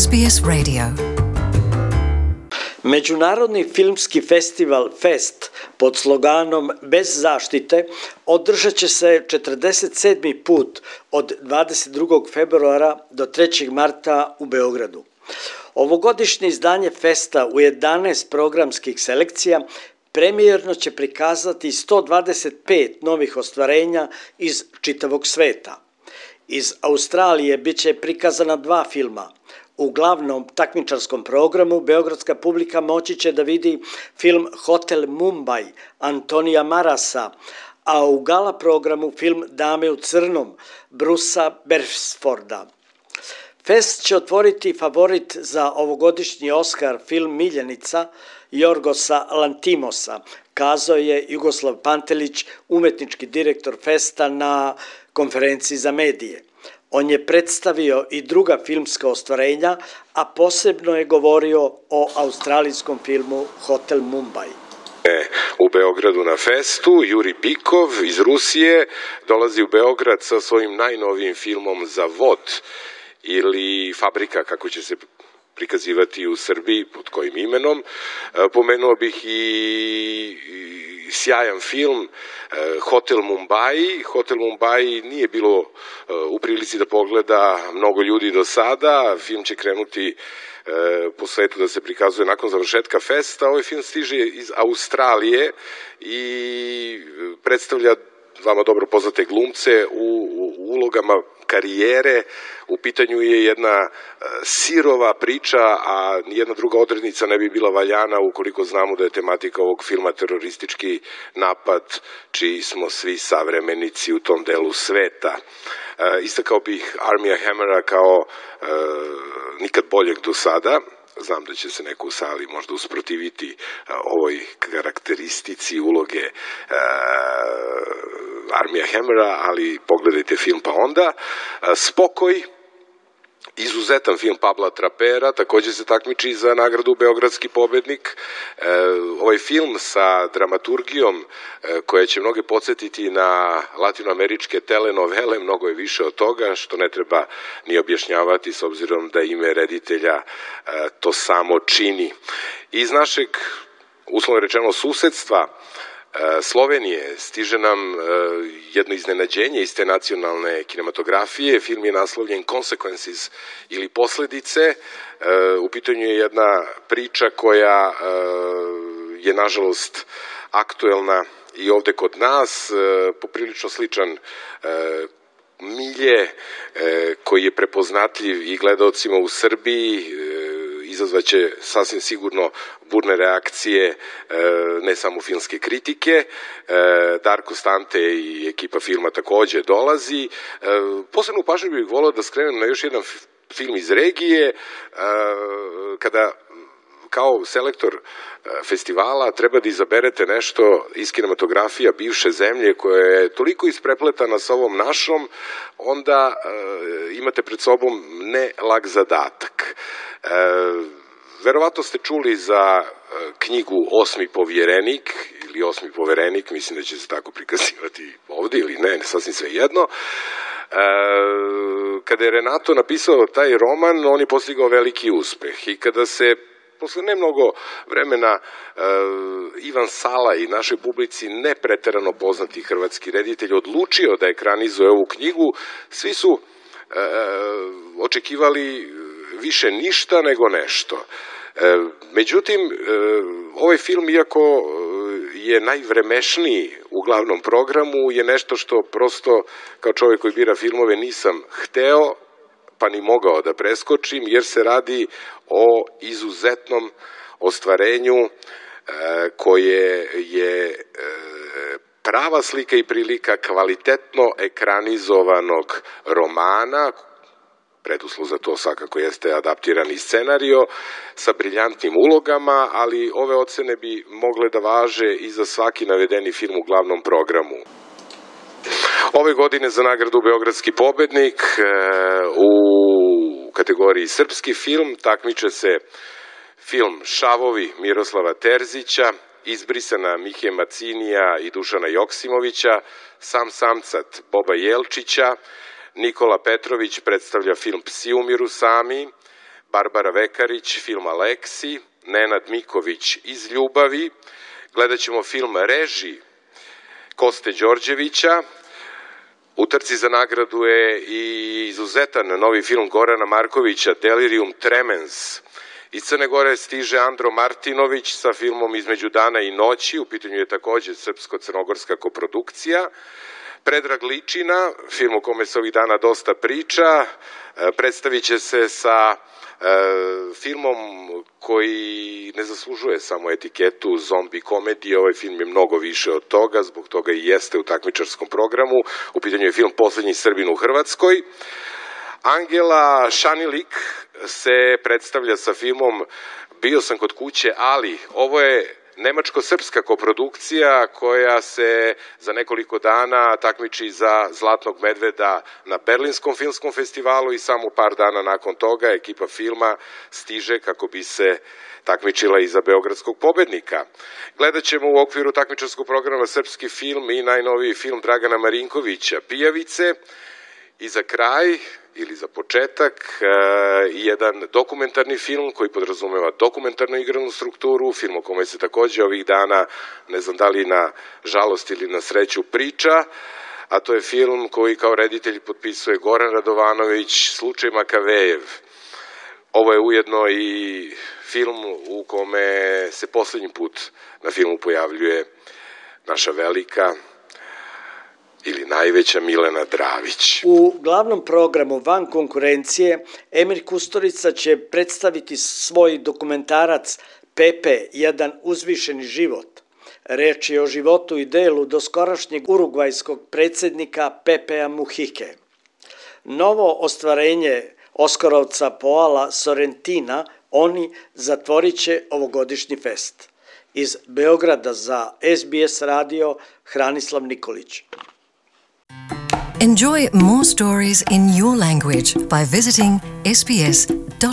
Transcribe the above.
SBS Radio. Međunarodni filmski festival FEST pod sloganom Bez zaštite održat će se 47. put od 22. februara do 3. marta u Beogradu. Ovogodišnje izdanje Festa u 11 programskih selekcija premijerno će prikazati 125 novih ostvarenja iz čitavog sveta. Iz Australije bit će prikazana 2 filma. U glavnom takmičarskom programu beogradska publika moći će da vidi film Hotel Mumbai Antonija Marasa, a u gala programu film Dame u crnom Brusa Beresforda. Fest će otvoriti favorit za ovogodišnji Oskar film Miljenica Jorgosa Lantimosa, kazao je Jugoslav Pantelić, umetnički direktor Festa na konferenciji za medije. On je predstavio i druga filmska ostvarenja, a posebno je govorio o australijskom filmu Hotel Mumbai. U Beogradu na Festu, Juri Pikov iz Rusije dolazi u Beograd sa svojim najnovijim filmom Zavod ili Fabrika, kako će se prikazivati u Srbiji, pod kojim imenom. Pomenuo bih i sjajan film Hotel Mumbai. Hotel Mumbai nije bilo u prilici da pogleda mnogo ljudi do sada. Film će krenuti po svetu da se prikazuje nakon završetka Festa. Ovaj film stiže iz Australije i predstavlja vama dobro poznate glumce u ulogama karijere. U pitanju je jedna sirova priča, a nijedna druga odrednica ne bi bila valjana ukoliko znamo da je tematika ovog filma teroristički napad, čiji smo svi savremenici u tom delu sveta. Istakao bih Armija Hammera kao nikad boljeg do sada. Znam da će se neko u sali možda usprotiviti ovoj karakteristici uloge Armija Hammera, ali pogledajte film pa onda. Spokoj, izuzetan film Pabla Trapera, također se takmiči za nagradu Beogradski pobednik. Ovaj film sa dramaturgijom koja će mnoge podsjetiti na latinoameričke telenovele, mnogo je više od toga, što ne treba ni objašnjavati s obzirom da ime reditelja to samo čini. Iz našeg, uslovno rečeno, susedstva Slovenije stiže nam jedno iznenađenje iz te nacionalne kinematografije. Film je naslovljen Consequences ili Posljedice. U pitanju je jedna priča koja je nažalost aktuelna i ovde kod nas, poprilično sličan milje koji je prepoznatljiv i gledaocima u Srbiji, izazvaće sasvim sigurno burne reakcije, ne samo filmske kritike. Darko Stante i ekipa filma takođe dolazi. Posebno pažnju bih volio da skrenem na još jedan film iz regije, kada kao selektor festivala treba da izaberete nešto iz kinematografija bivše zemlje koja je toliko isprepletana sa ovom našom, onda imate pred sobom ne lak zadatak. Verovatno ste čuli za knjigu Osmi povjerenik ili Osmi poverenik, mislim da će se tako prikazivati ovdje ili ne, sasvim sve jedno. Kada je Renato napisao taj roman, on je postigao veliki uspeh i kada se posle ne mnogo vremena Ivan Sala i našoj publici ne preterano poznati hrvatski reditelj odlučio da ekranizuje ovu knjigu, svi su očekivali više ništa nego nešto. Međutim, ovaj film, iako je najvremešniji u glavnom programu, je nešto što prosto kao čovjek koji bira filmove nisam hteo pa ni mogao da preskočim, jer se radi o izuzetnom ostvarenju koje je prava slika i prilika kvalitetno ekranizovanog romana. Preduslov za to svakako jeste adaptirani scenario sa briljantnim ulogama, ali ove ocene bi mogle da važe i za svaki navedeni film u glavnom programu. Ove godine za nagradu Beogradski pobednik u kategoriji srpski film takmiče se film Šavovi Miroslava Terzića, Izbrisana Mihije Macinija i Dušana Joksimovića, Sam samcat Boba Jelčića, Nikola Petrović predstavlja film Psi umiru sami, Barbara Vekarić, film Aleksi, Nenad Miković iz Ljubavi, gledat ćemo film Reži Koste Đorđevića, u trci za nagradu je i izuzetan novi film Gorana Markovića, Delirium Tremens. Iz Crne Gore stiže Andro Martinović sa filmom Između dana i noći, u pitanju je takođe srpsko-crnogorska koprodukcija. Predrag Ličina, film o kome se ovih dana dosta priča, predstavit će se sa filmom koji ne zaslužuje samo etiketu zombi komedije. Ovaj film je mnogo više od toga, zbog toga i jeste u takmičarskom programu. U pitanju je film Poslednji Srbin u Hrvatskoj. Angela Šanilik se predstavlja sa filmom Bio sam kod kuće, ali ovo je nemačko-srpska koprodukcija koja se za nekoliko dana takmiči za Zlatnog medveda na Berlinskom filmskom festivalu i samo par dana nakon toga ekipa filma stiže kako bi se takmičila i za beogradskog pobednika. Gledat ćemo u okviru takmičarskog programa srpski film i najnoviji film Dragana Marinkovića Pijavice. I za kraj, ili za početak, jedan dokumentarni film koji podrazumeva dokumentarnu igranu strukturu, film o kome se takođe ovih dana, ne znam da li na žalost ili na sreću, priča, a to je film koji kao reditelj potpisuje Goran Radovanović, Slučaj Makavejev. Ovo je ujedno i film u kome se poslednji put na filmu pojavljuje naša velika ili najveća Milena Dravić. U glavnom programu Van konkurencije Emir Kusturica će predstaviti svoj dokumentarac Pepe, jedan uzvišeni život. Reč je o životu i delu doskorašnjeg urugvajskog predsjednika Pepea Muhike. Novo ostvarenje Oskarovca Poala Sorrentina oni zatvorit će ovogodišnji fest. Iz Beograda za SBS radio Hranislav Nikolić. Enjoy more stories in your language by visiting sbs.com.au.